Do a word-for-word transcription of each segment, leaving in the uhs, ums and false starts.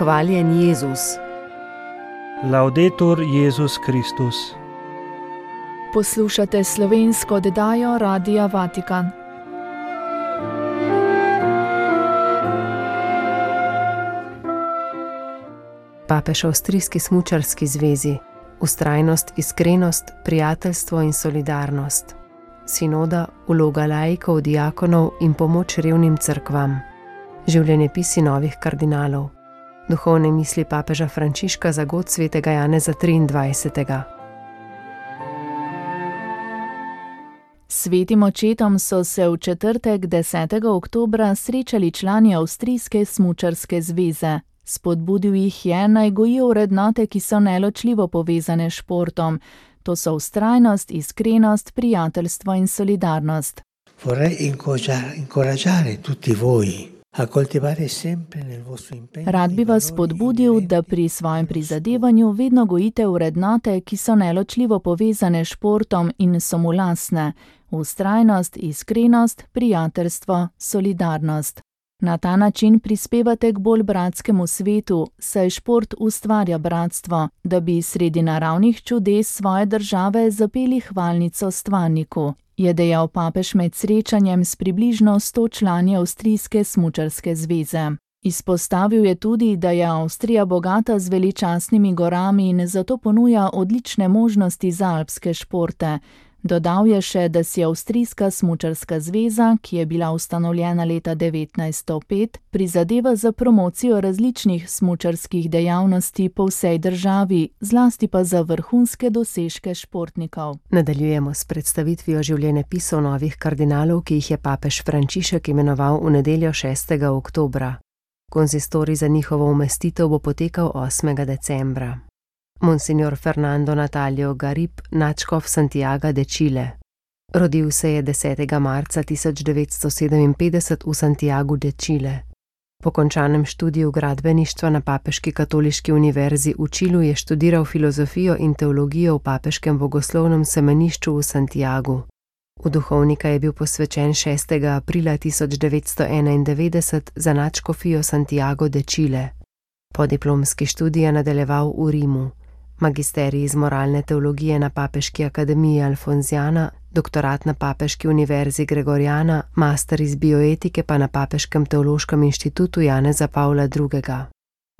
Hvaljen Jezus. Laudetur Jezus Kristus. Poslušate slovensko oddajo Radia Vatikan. Papež Avstrijski smučarski zvezi. Vztrajnost, iskrenost, prijateljstvo in solidarnost. Sinoda, vloga laikov, diakonov in pomoč revnim cerkvam. Življenjepisi novih kardinalov. Duhovne misli papeža Frančiška za god svetega Janeza triindvajsetega. Svetim očetom so se v četrtek desetega oktobra srečali člani Avstrijske smučarske zveze. Spodbudil jih je, naj gojijo vrednote, ki so neločljivo povezane s športom. To so vztrajnost, iskrenost, prijateljstvo in solidarnost. Vorrei incoraggiare tutti voi a coltivare sempre nel vostro impegno. Rad bi vas spodbudil, da pri svojem prizadevanju vedno gojite vrednote, ki so neločljivo povezane s športom in so mu lastne. Vztrajnost, iskrenost, prijateljstvo, solidarnost. Na ta način prispevate k bolj bratskemu svetu, saj šport ustvarja bratstvo, da bi sredi naravnih čudes svoje države zapeli hvalnico stvarniku, je dejal papež med srečanjem s približno sto člani Avstrijske smučarske zveze. Izpostavil je tudi, da je Avstrija bogata z veličastnimi gorami in zato ponuja odlične možnosti za alpske športe. Dodal je še, da si Avstrijska smučarska zveza, ki je bila ustanovljena leta devetnajststo pet, prizadeva za promocijo različnih smučarskih dejavnosti po vsej državi, zlasti pa za vrhunske dosežke športnikov. Nadaljujemo s predstavitvijo življenjepisov novih kardinalov, ki jih je papež Frančišek imenoval v nedeljo šestega oktobra. Konzistorij za njihovo umestitev bo potekal osmega decembra. Monsignor Fernando Natalio Garib, nadškof Santiaga de Chile. Rodil se je desetega marca tisoč devetsto sedeminpetdeset v Santiagu de Chile. Po končanem študiju gradbeništva na Papeški katoliški univerzi v Čilu je študiral filozofijo in teologijo v Papeškem bogoslovnem semenišču v Santiagu. V duhovnika je bil posvečen šestega aprila tisoč devetsto enaindevetdeset za nadškofijo Santiago de Chile. Podiplomski študij je nadaljeval v Rimu. Magisterij iz moralne teologije na Papeški akademiji Alfonziana, doktorat na Papeški univerzi Gregoriana, master iz bioetike pa na Papeškem teološkem inštitutu Janeza Pavla drugega.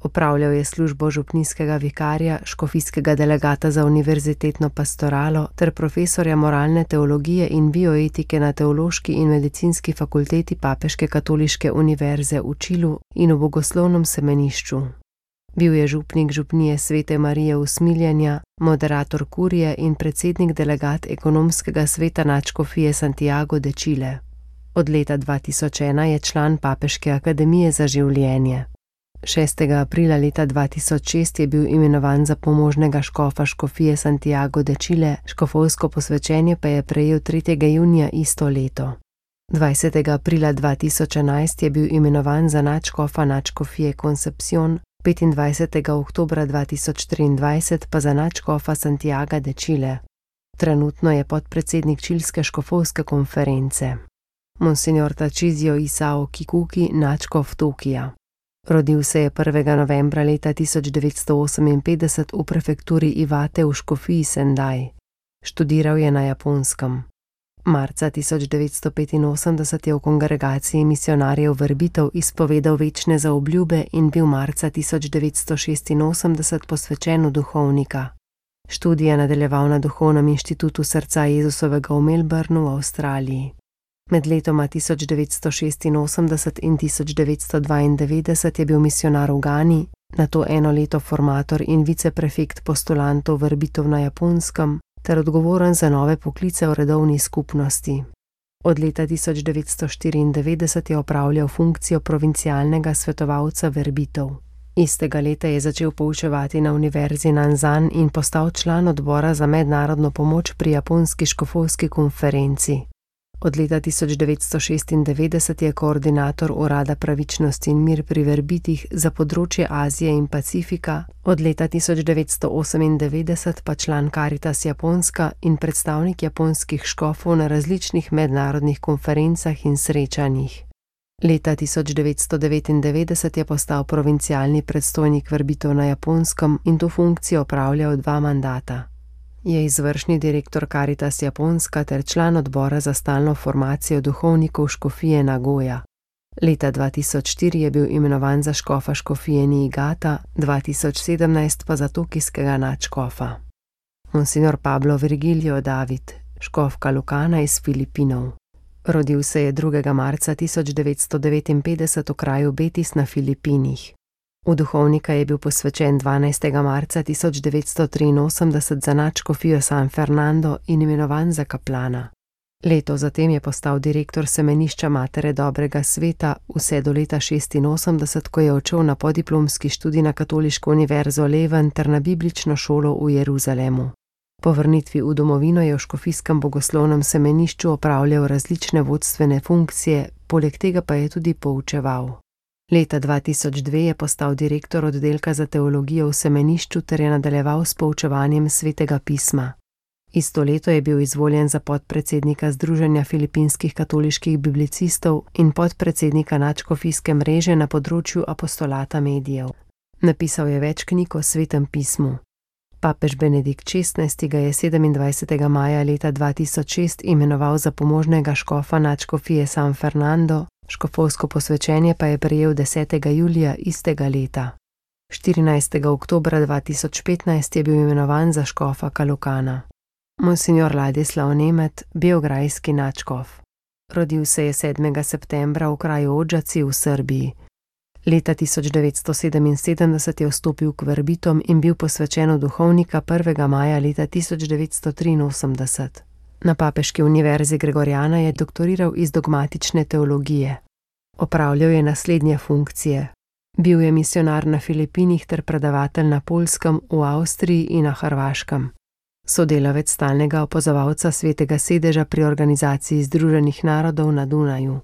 Opravljal je službo župnijskega vikarja, škofijskega delegata za univerzitetno pastoralo ter profesorja moralne teologije in bioetike na Teološki in medicinski fakulteti Papeške katoliške univerze v Čilu in v bogoslovnem semenišču. Bil je župnik župnije Svete Marije Usmiljenja, moderator kurije in predsednik delegat ekonomskega sveta nadškofije Santiago de Chile. Od leta dva tisoč ena je član Papeške akademije za življenje. šestega aprila leta dva tisoč šest je bil imenovan za pomožnega škofa škofije Santiago de Chile, škofovsko posvečenje pa je prejel tretjega junija isto leto. dvajsetega aprila dva tisoč enajst je bil imenovan za nadškofa nadškofije Concepción, petindvajsetega oktobra dva tisoč triindvajset pa za nadškofa Santiaga de Chile. Trenutno je podpredsednik čilske škofovske konference. Monsignor Tachizio Isao Kikuki, nadškof Tokija. Rodil se je prvega novembra leta tisoč devetsto oseminpetdeset v prefekturi Iwate v škofiji Sendai. Študiral je na Japonskem. Marca tisoč devetsto petinosemdeset je v kongregaciji misionarjev Verbitov izpovedal večne zaobljube in bil marca tisoč devetsto šestinosemdeset posvečen v duhovnika. Študij je nadaljeval na Duhovnem inštitutu srca Jezusovega v Melbournu v Avstraliji. Med letoma tisoč devetsto šestinosemdeset in tisoč devetsto dvaindevetdeset je bil misionar v Gani, nato eno leto formator in viceprefekt postulantov Verbitov na Japonskem, ter odgovoren za nove poklice v redovni skupnosti. Od leta tisoč devetsto štiriindevetdeset je opravljal funkcijo provincialnega svetovalca Verbitov. Istega leta je začel poučevati na univerzi Nanzan in postal član odbora za mednarodno pomoč pri japonski škofovski konferenci. Od leta tisoč devetsto šestindevetdeset je koordinator Urada pravičnost in mir pri Verbitih za področje Azije in Pacifika, od leta tisoč devetsto osemindevetdeset pa član Caritas Japonska in predstavnik japonskih škofov na različnih mednarodnih konferencah in srečanjih. Leta tisoč devetsto devetindevetdeset je postal provincialni predstojnik verbitev na Japonskem in to funkcijo opravljal dva mandata. Je izvršni direktor Karitas Japonska ter član odbora za stalno formacijo duhovnikov škofije Nagoja. Leta dva tisoč štiri je bil imenovan za škofa škofije Niigata, dva tisoč sedemnajst pa za tokijskega nadškofa. Monsignor Pablo Virgilio David, škof Calocana iz Filipinov. Rodil se je drugega marca tisoč devetsto devetinpetdeset v kraju Betis na Filipinih. V duhovnika je bil posvečen dvanajstega marca tisoč devetsto triinosemdeset za nadškofijo San Fernando in imenovan za kaplana. Leto zatem je postal direktor semenišča Matere dobrega sveta vse do leta šestinosemdeset, ko je odšel na podiplomski študij na Katoliško univerzo Leven ter na biblično šolo v Jeruzalemu. Po vrnitvi v domovino je v škofijskem bogoslovnem semenišču opravljal različne vodstvene funkcije, poleg tega pa je tudi poučeval. Leta dva tisoč dve je postal direktor oddelka za teologijo v semenišču ter je nadaljeval s poučevanjem svetega pisma. Isto leto je bil izvoljen za podpredsednika Združenja filipinskih katoliških biblicistov in podpredsednika nadškofijske mreže na področju apostolata medijev. Napisal je več knjig o svetem pismu. Papež Benedikt šestnajsti ga je sedemindvajsetega maja leta dva tisoč šest imenoval za pomožnega škofa nadškofije San Fernando, škofovsko posvečenje pa je prejel desetega julija istega leta. štirinajstega oktobra dva tisoč petnajst je bil imenovan za škofa Calocana. Monsignor Ladislav Nemet, beograjski nadškof. Rodil se je sedmega septembra v kraju Odžaci v Srbiji. Leta tisoč devetsto sedeminsedemdeset je vstopil k verbitom in bil posvečen v duhovnika prvega maja leta tisoč devetsto triinosemdeset. Na Papeški univerzi Gregoriana je doktoriral iz dogmatične teologije. Opravljal je naslednje funkcije. Bil je misionar na Filipinih ter predavatelj na Poljskem, v Avstriji in na Hrvaškem. Sodelavec stalnega opazovalca Svetega sedeža pri Organizaciji združenih narodov na Dunaju.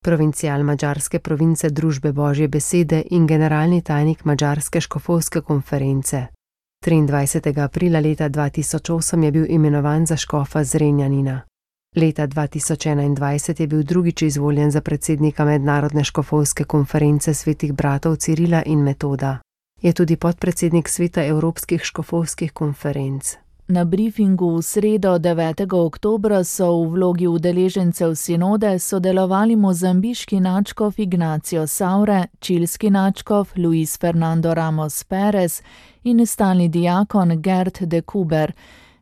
Provincial madžarske province Družbe Božje besede in generalni tajnik Madžarske škofovske konference. triindvajsetega aprila leta dva tisoč osem je bil imenovan za škofa Zrenjanina. Leta dva tisoč enaindvajset je bil drugič izvoljen za predsednika Mednarodne škofovske konference svetih bratov Cirila in Metoda. Je tudi podpredsednik sveta Evropskih škofovskih konferenc. Na briefingu v sredo devetega oktobra so v vlogi udeležencev sinode sodelovali mozambiški nadškof Ignacio Saure, čilski nadškof Luis Fernando Ramos Perez in stalni diakon Gert de Kuber.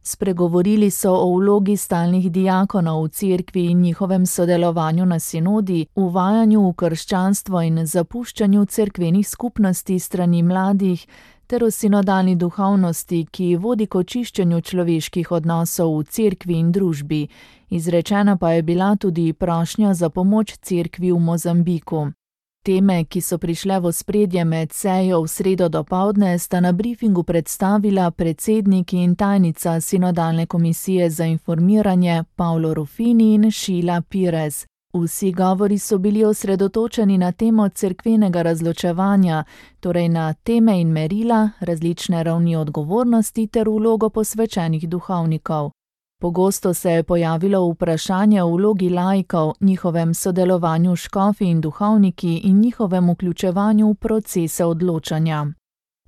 Spregovorili so o vlogi stalnih diakonov v cerkvi in njihovem sodelovanju na sinodi, uvajanju v krščanstvo in zapuščanju cerkvenih skupnosti strani mladih, ter o sinodalni duhovnosti, ki vodi k očiščenju človeških odnosov v cerkvi in družbi. Izrečena pa je bila tudi prošnja za pomoč cerkvi v Mozambiku. Teme, ki so prišle v ospredje med sejo v sredo dopoldne, sta na briefingu predstavila predsednik in tajnica sinodalne komisije za informiranje Paolo Ruffini in Sheila Pires. Vsi govori so bili osredotočeni na temo cerkvenega razločevanja, torej na teme in merila, različne ravni odgovornosti ter vlogo posvečenih duhovnikov. Pogosto se je pojavilo vprašanje o vlogi laikov, njihovem sodelovanju s škofi in duhovniki in njihovem vključevanju v procese odločanja.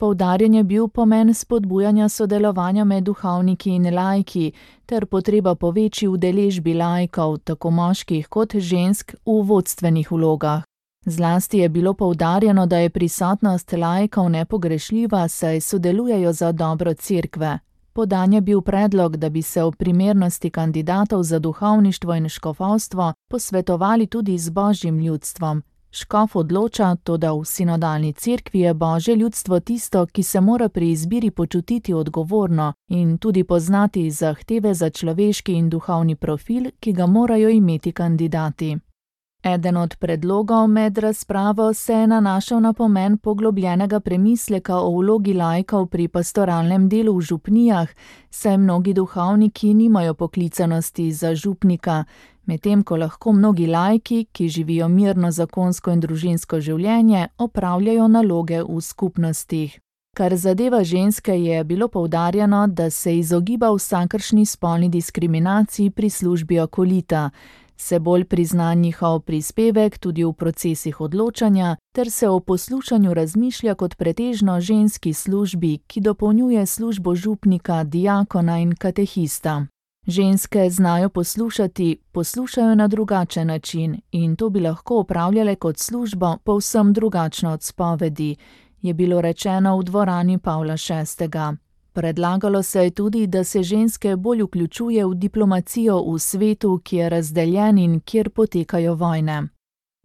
Poudarjen je bil pomen spodbujanja sodelovanja med duhovniki in laiki ter potreba po večji udeležbi laikov, tako moških kot žensk, v vodstvenih vlogah. Zlasti je bilo poudarjeno, da je prisotnost laikov nepogrešljiva, saj sodelujejo za dobro cerkve. Podan je bil predlog, da bi se o primernosti kandidatov za duhovništvo in škofovstvo posvetovali tudi z božjim ljudstvom. Škof odloča, toda v sinodalni cerkvi je božje ljudstvo tisto, ki se mora pri izbiri počutiti odgovorno in tudi poznati zahteve za človeški in duhovni profil, ki ga morajo imeti kandidati. Eden od predlogov med razpravo se je nanašal na pomen poglobljenega premisleka o vlogi laikov pri pastoralnem delu v župnijah, saj mnogi duhovniki nimajo poklicanosti za župnika, medtem ko lahko mnogi laiki, ki živijo mirno zakonsko in družinsko življenje, opravljajo naloge v skupnostih. Kar zadeva ženske, je bilo poudarjeno, da se izogiba vsakršni spolni diskriminaciji pri službi akolita. Se bolj prizna njihov prispevek tudi v procesih odločanja, ter se o poslušanju razmišlja kot pretežno ženski službi, ki dopolnjuje službo župnika, diakona in katehista. Ženske znajo poslušati, poslušajo na drugačen način in to bi lahko opravljale kot službo povsem drugačno od spovedi, je bilo rečeno v dvorani Pavla šestega. Predlagalo se je tudi, da se ženske bolj vključuje v diplomacijo v svetu, ki je razdeljen in kjer potekajo vojne.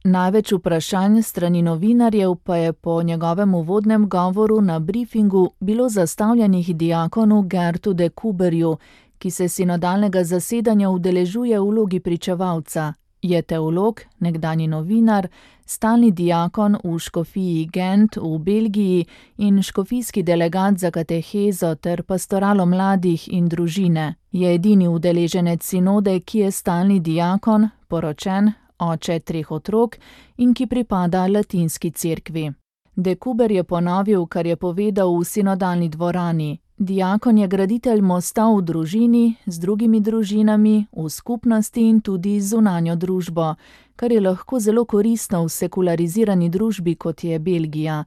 Največ vprašanj strani novinarjev pa je po njegovem uvodnem govoru na briefingu bilo zastavljenih diakonu Gertu de Kuberju, ki se sinodalnega zasedanja udeležuje v vlogi pričevalca. Je teolog, nekdanji novinar, stalni diakon v škofiji Gent v Belgiji in škofijski delegat za katehezo ter pastoralo mladih in družine. Je edini udeleženec sinode, ki je stalni diakon, poročen, oče treh otrok in ki pripada latinski cerkvi. De Kuber je ponovil, kar je povedal v sinodalni dvorani. Diakon je graditelj mosta v družini, z drugimi družinami, v skupnosti in tudi z zunanjo družbo, kar je lahko zelo koristno v sekularizirani družbi, kot je Belgija.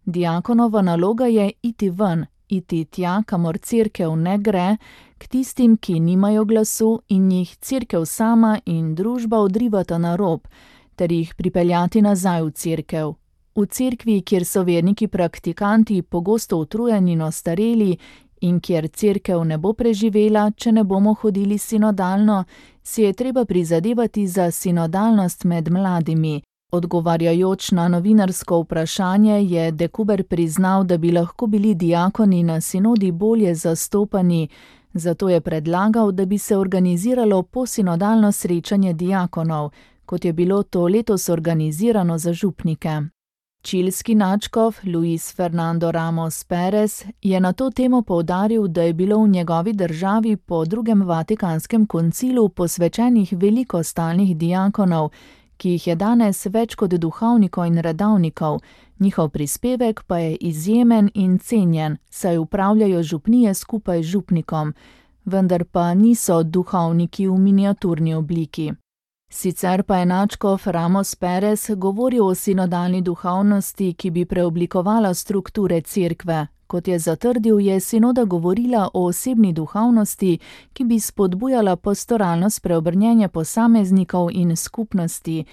Diakonova naloga je iti ven, iti tja, kamor cerkev ne gre, k tistim, ki nimajo glasu in jih cerkev sama in družba odrivata na rob, ter jih pripeljati nazaj v cerkev. V cerkvi, kjer so verniki praktikanti pogosto utrujeni in ostareli in kjer cerkev ne bo preživela, če ne bomo hodili sinodalno, si je treba prizadevati za sinodalnost med mladimi. Odgovarjajoč na novinarsko vprašanje je De Kuber priznal, da bi lahko bili diakoni na sinodi bolje zastopani, zato je predlagal, da bi se organiziralo posinodalno srečanje diakonov, kot je bilo to letos organizirano za župnike. Čilski nadškof Luis Fernando Ramos Perez je na to temo poudaril, da je bilo v njegovi državi po drugem Vatikanskem koncilu posvečenih veliko stalnih diakonov, ki jih je danes več kot duhovnikov in redavnikov, njihov prispevek pa je izjemen in cenjen, saj upravljajo župnije skupaj z župnikom, vendar pa niso duhovniki v miniaturni obliki. Sicer pa je nadškof Ramos Perez govoril o sinodalni duhovnosti, ki bi preoblikovala strukture cerkve. Kot je zatrdil, je sinoda govorila o osebni duhovnosti, ki bi spodbujala pastoralno spreobrnjenje posameznikov in skupnosti.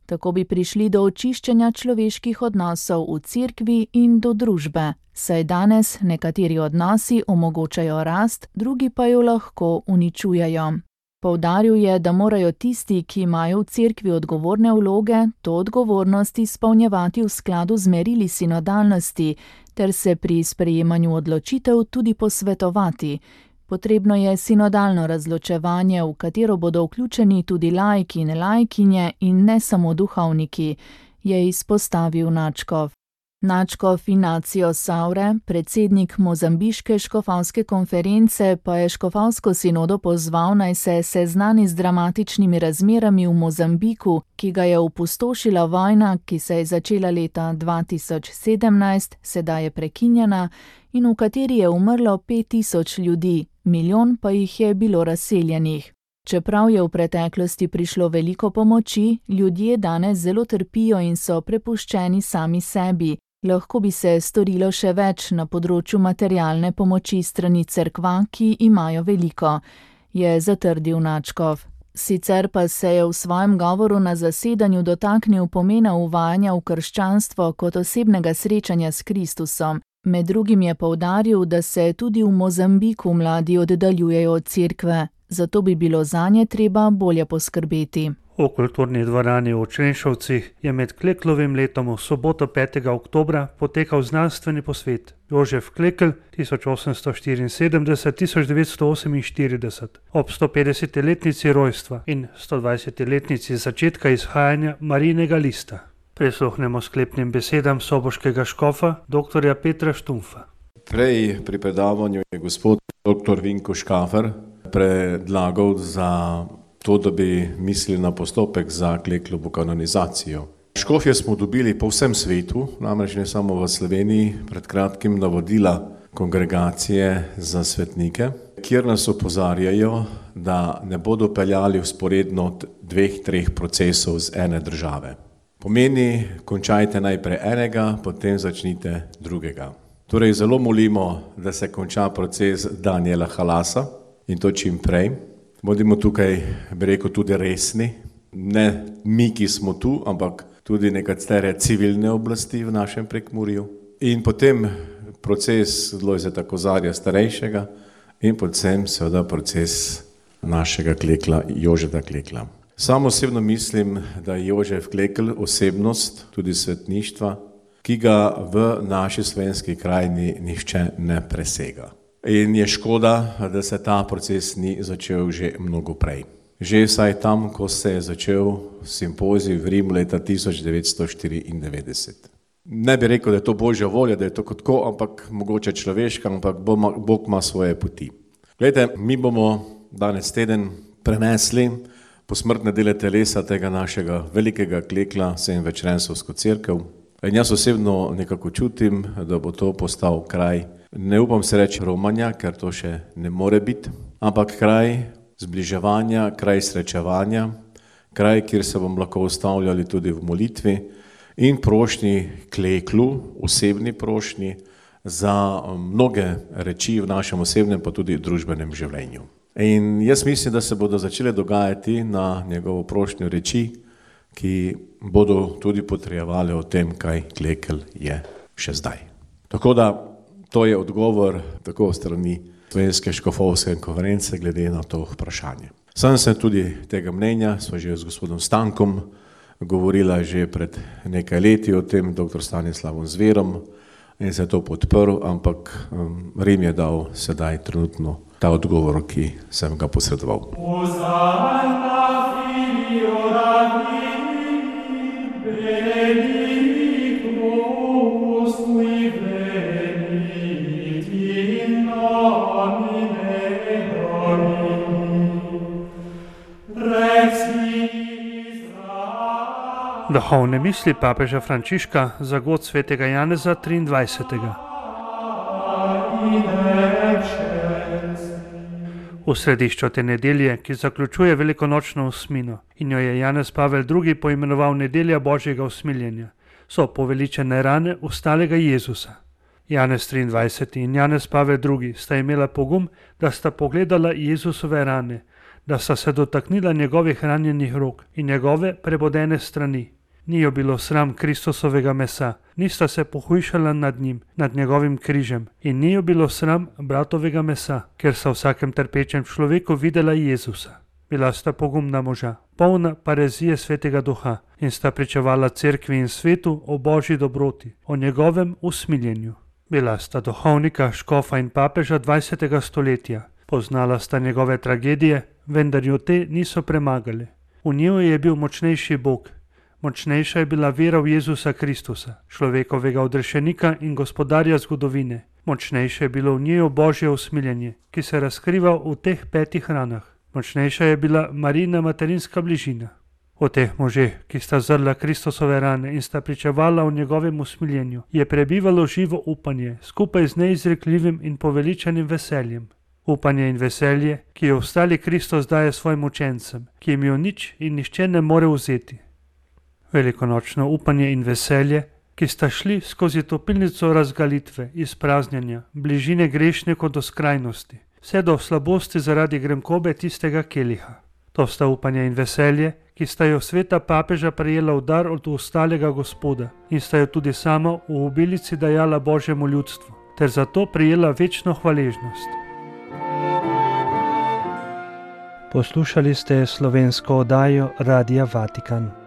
Tako bi prišli do očiščenja človeških odnosov v cerkvi in do družbe, saj danes nekateri odnosi omogočajo rast, drugi pa jo lahko uničujejo. Poudaril je, da morajo tisti, ki imajo v cerkvi odgovorne vloge, to odgovornost izpolnjevati v skladu z merili sinodalnosti, ter se pri sprejemanju odločitev tudi posvetovati. Potrebno je sinodalno razločevanje, v katero bodo vključeni tudi laiki in laikinje in ne samo duhovniki, je izpostavil nadškof. Nadškof Ignacio Saure, predsednik mozambiške škofavske konference, pa je škofavsko sinodo pozval, naj se seznani z dramatičnimi razmerami v Mozambiku, ki ga je opustošila vojna, ki se je začela leta dva tisoč sedemnajst, sedaj je prekinjena, in v kateri je umrlo pet tisoč ljudi, milijon pa jih je bilo razseljenih. Čeprav je v preteklosti prišlo veliko pomoči, ljudje danes zelo trpijo in so prepuščeni sami sebi. Lahko bi se storilo še več na področju materialne pomoči strani cerkva, ki imajo veliko, je zatrdil nadškof. Sicer pa se je v svojem govoru na zasedanju dotaknil pomena uvajanja v krščanstvo kot osebnega srečanja s Kristusom. Med drugim je poudaril, da se tudi v Mozambiku mladi oddaljujejo od cerkve, zato bi bilo zanje treba bolje poskrbeti. V kulturni dvorani v Črenšovcih je med Kleklovim letom v soboto petega oktobra potekal znanstveni posvet Jožef Klekl tisoč osemsto štiriinsedemdeset do tisoč devetsto oseminštirideset ob stopetdesetletnici rojstva in stodvajsetletnici začetka izhajanja Marijinega lista. Prisluhnemo sklepnim besedam soboškega škofa doktorja Petra Štumfa. Prej pri predavanju je gospod doktor Vinko Škafer predlagal za to, da bi mislili na postopek za Kleklovo kanonizacijo. Škofje smo dobili po vsem svetu, namreč ne samo v Sloveniji, pred kratkim navodila kongregacije za svetnike, kjer nas opozarjajo, da ne bodo peljali vzporedno dveh, treh procesov z ene države. Pomeni, končajte najprej enega, potem začnite drugega. Torej zelo molimo, da se konča proces Danijela Halasa in to čim prej. Bodimo tukaj, bi rekel, tudi resni, ne mi, ki smo tu, ampak tudi nekatere civilne oblasti v našem Prekmurju. In potem proces Lojzeta Kozarja starejšega in predvsem seveda proces našega Klekla, Jožeta Klekla. Sam osebno mislim, da je Jožef Klekl osebnost, tudi svetništva, ki ga v naši slovenski krajini nihče ne presega. In je škoda, da se ta proces ni začel že mnogo prej. Že vsaj tam, ko se je začel simpozij v Rimu leta tisoč devetsto štiriindevetdeset. Ne bi rekel, da je to Božja volja, da je to kot tako, ampak mogoče človeška, ampak Bog ima svoje poti. Glejte, mi bomo danes teden prenesli posmrtne dele telesa tega našega velikega Klekla, sedemvečerensovsko cerkev. In jaz osebno nekako čutim, da bo to postal kraj, ne upam se reči romanja, ker to še ne more biti, ampak kraj zbliževanja, kraj srečevanja, kraj, kjer se bomo lahko ustavljali tudi v molitvi in prošnji Kleklu, osebni prošnji za mnoge reči v našem osebnem pa tudi družbenem življenju. In jaz mislim, da se bodo začele dogajati na njegovo prošnjo reči, ki bodo tudi potrjevali o tem, kaj Klekl je še zdaj. Tako da to je odgovor tako strani Slovenske škofovske konference glede na to vprašanje. Sam sem tudi tega mnenja, sva že z gospodom Stankom govorila že pred nekaj leti o tem, doktor Stanislavom Zverom, in se je to podprl, ampak um, Rim je dal sedaj trenutno ta odgovor, ki sem ga posredoval. Duhovne misli papeža Frančiška za god svetega Janeza triindvajsetega. V središču te nedelje, ki zaključuje velikonočno osmino in jo je Janez Pavel drugi poimenoval nedelja Božjega usmiljenja, so poveličene rane ustalega Jezusa. Janez triindvajseti in Janez Pavel drugi sta imela pogum, da sta pogledala Jezusove rane, da sta se dotaknila njegovih ranjenih rok in njegove prebodene strani. Ni jo bilo sram Kristusovega mesa, nista se pohujšala nad njim, nad njegovim križem in ni jo bilo sram bratovega mesa, ker sta v vsakem trpečem človeku videla Jezusa. Bila sta pogumna moža, polna parezije svetega duha in sta pričevala cerkvi in svetu o Božji dobroti, o njegovem usmiljenju. Bila sta duhovnika, škofa in papeža dvajsetega stoletja. Poznala sta njegove tragedije, vendar jo te niso premagali. V njiju je bil močnejši Bog. Močnejša je bila vera v Jezusa Kristusa, človekovega odrešenika in gospodarja zgodovine. Močnejše je bilo v njiju Božje usmiljenje, ki se razkriva v teh petih ranah. Močnejša je bila Marijina materinska bližina. O teh možeh, ki sta zrla Kristusove rane in sta pričevala o njegovem usmiljenju, je prebivalo živo upanje, skupaj z neizrekljivim in poveličanim veseljem. Upanje in veselje, ki jo ostali Kristus daje svojim učencem, ki jim jo nič in nihče ne more vzeti. Velikonočno upanje in veselje, ki sta šli skozi topilnico razgalitve, izpraznjenja, bližine grešnikov do skrajnosti, vse do slabosti zaradi gremkobe tistega keliha. To sta upanje in veselje, ki sta jo sveta papeža prejela v dar od ostalega Gospoda in sta jo tudi sama v obilici dajala Božjemu ljudstvu, ter zato prejela večno hvaležnost. Poslušali ste slovensko oddajo Radia Vatikan.